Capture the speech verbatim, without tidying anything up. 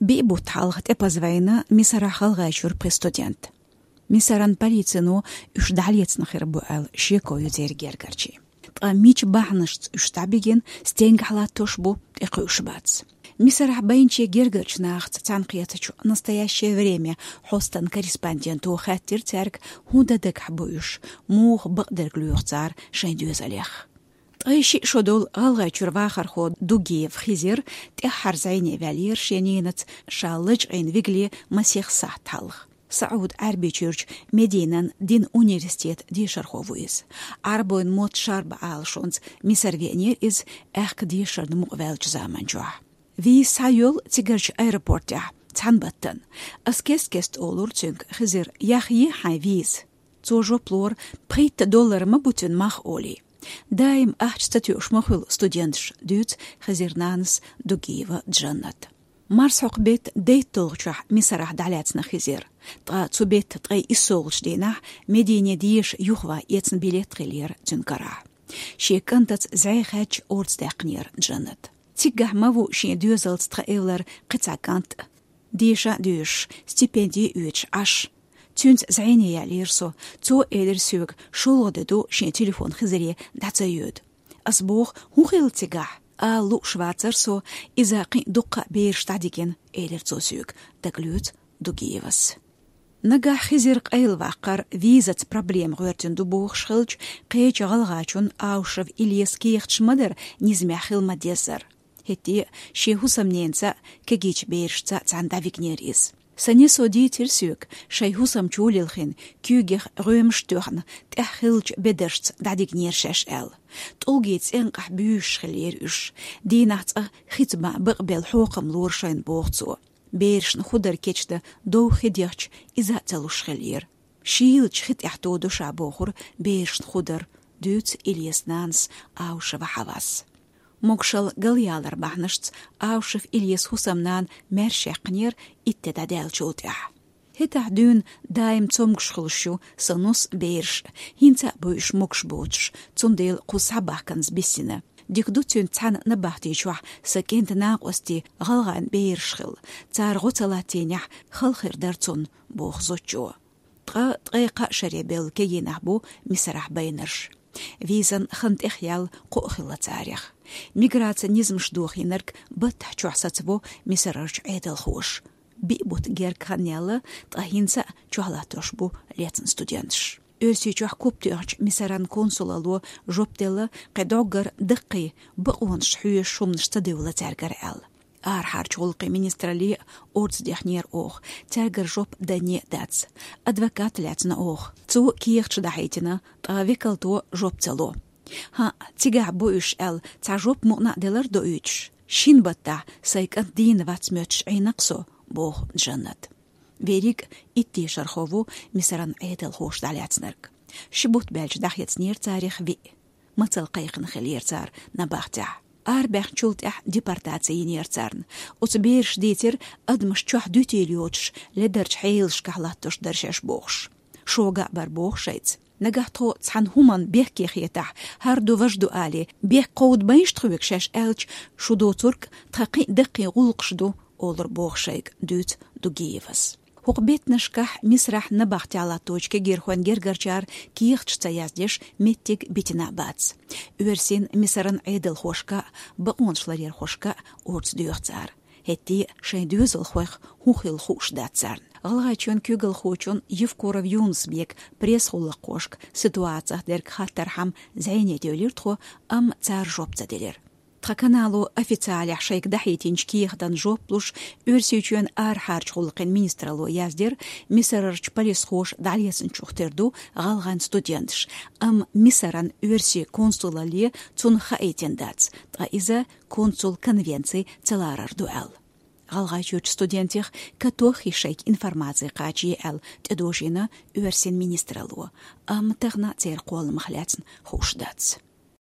Биъ бутт хьалха тӀепаза вайна Мисарахь ГӀалгӀайчуьра пхи студент. Мисаран полицино уьш дӀалецна хир бу аьлла шеко ю церан гергарчийн. Ткъа мича бахьанашца уьш дӀабигина, стенгахь латтош бу, тӀекхуьуш бац. Мисарахь байначийн гергарчу нахаца цхьаьнакхетачу «Настоящее время» хьостан корреспонденто хаьттира цаьрга, хӀун дан дагахь бу уьш, муха бакъдерг лоьху цара шайн доьзалех. Ткъе шиъ шо долу ГӀалгӀайчуьра вахархо Дугиев Хизир тӀаьххьара зӀене ваьллера шен ненаца ша лачкъийна вигале масех сахьт хьалха. СаӀуд-Ӏаьрбийчуьрчу Мединан дин университетан дешархо ву иза. Ӏарбойн мотт шарбан Ӏалашонца Мисар веанера иза, аьхка дешарна мукъаваьллачу заман чохь. Виза схьайолу цигарчу аэропортехь цхьана баттана. Ас кест-кеста олура цуьнга: «Хизир, яхъе хьайн виза». Цо жоп лора: «Пхийтта доллар ма бу цуьнан мах», — олий. «Даим ахча ца тоьуш ма хуьлу студенташ», — дуьйцу Хизиран нанас Дугиева Джаннат. Марсхьокху беттан дейтталгӀачохь Мисарахь дӀалаьцна Хизир. Ткъа цу беттан ткъе иссалгӀачу дийнахь Медине деша юхаван эцна билет хиллера цуьнан карахь. Шен кӀантаца зӀе хаьдча, орца даьккхинера Джаннат. Циггахь ма ву шен доьзалца тхан эвлара кхин цхьа кӀант а. Деша а доьшуш, стипенди а оьцуш Ӏаш. Цуьнца зӀене яьллера со. Цо элира соьга, шолгӀа де ду шен телефон Хизире дӀа ца йоьду. Ас боху: «ХӀун хилла цигахь?» Ала лууш вацара со, иза кхин а дуккха а бераш дӀадигина, элира цо соьга, дагалоьцу Дугиевас. Нагахь Хизир къайлаваккхар визаца проблема гӀоьртина ду бохуш хилча, кхечу гӀалгӀачун Аушев Ильяс кехаташ ма дара низамехь хила ма-деззара. ХӀетте а шен хӀусамненца а, кегийчу берашца а цхьаьна дӀавигнера иза. Сан несо дийцира соьга, шайн хӀусам чу лилхина, куьйгех гӀоьмаш а тоьхна, тӀехь хиллачу бедаршца дӀадигнера шаьш аьлла. ТӀулгийн цӀенкъахь буьйсуш хиллера уьш. Дийнахь цкъа хица бан бакъбелла хьокхам лора шайна, боху цо. Берашна ху дар кечдан дов хи дехча, иза а ца луш хиллера. Шийлачу хи тӀехь тодо ша бохура берашна ху дар, дуьйцу Ильясан нанас Аушева Хьавас. Могушалла галъялар бахьанашца Аушев Ильясан хӀусамнана маьрша яьккхинера итт де дӀадаьллачул тӀаьхьа. ХӀетахь дуьйна даим цомгуш хуьлуш ю сан нус а, бераш а, хӀинца а бу уьш могуш боцуш, цундела кхуза схьабахканза биссина. Дика ду цуьнца цхьаьна набахти чохь сан кӀентан накъостий, гӀалгӀайн бераш хилла. Цара гӀо ца латтийнехь, хала хир дара цунна, боху зудчо. Ткъа ткъе кхаа шаре бевлла кегийнахь бу Мисарахь байнарш. Визан хан тӀехъяьлла кхоъ хилла царех. Миграцин низамаш дохийнарг баттахь чохь сацаво Мисарарчу Ӏедалхоша. Биъ бутт герга хан яьлла, ткъа хӀинца а чохь латтош бу лецна студенташ. Оьрсийчохь куп тоьхначу Мисаран консулалло жоп делла, кхин дӀоггара даккхий, бакъонаш хьоьшуш хӀуманаш ца девлла цаьргара аьлла. Арахьарчу гӀуллакхийн министралле а орца дехнера оха, цаьргара жоп данне а дац. Адвокат лаьцна оха. Цо кехаташ дӀахьийтина, ткъа векалто жоп ца ло. ХӀаъ, цигахь бу уьш аьлла, цхьа жоп мукъана а делар доуьйтуш. Шина баттахь сайн кӀант дийна вац моьттуш Ӏийна-кх со, боху Джаннат. Верриг а итт дешархо ву Мисаран Ӏедалхоша дӀалаьцнарг. Ши бутт баьлча дӀахецнера царах виъ. Мацалла кхайкхина хиллера цара набахтехь. Арабаьхначул тӀаьхьа депортаци йинера царна. Оцу бераша дийцира, адамаш чохь дуьтийла йоцуш, ледарчу хьелашкахь латтош дара шаьш бохуш. Шога а бара боху шайца. Нагахь тхо цхьана хӀуманна бехке хетахь, хӀара ду, важа ду алий, бехк кховдабайша тхоьга шаьш аьлча, шу доцург тхан кхин а даккхий гӀуллакхаш ду, олура боху шайга, дуьйцу Дугиевас. ХӀокху беттанашкахь Мисарахь набахтехь латточу кегийрхойн гергарчара кехаташ ца яздеш меттиг битина а бац. Оьрсийн, Мисаран Ӏедалхошка а, бакъонаш ларъярхошка а орца доьху цара. ХӀетте а шайн доьзалхойх хӀун хилла хууш дац царна. ГӀалгӀайчоьнан куьйгалхочун Евкуров Юнус-Бекан пресс-гӀуллакххошка ситуацих дерг хаттархьама зӀене девлира тхо, амма цара жоп ца делира. Тхан канало официалехь шайга дахьийтинчу кехатан жоп луш, Оьрсийчоьнан арахьарчу гӀуллакхийн министралло яздира, Мисарарчу полисхоша дӀалецначух тера ду гӀалгӀайн студенташ, амма Мисаран оьрсийн консулалле цунах хаийтина дац, ткъа иза консул конвенци ца ларар ду аьлла. ГӀалгӀайчуьрчу студентех катох хи шайга информаци кхачае аьлла тӀедожийна оьрсийн министралло, амма тахана церан кхолламах лаьцна хууш дац.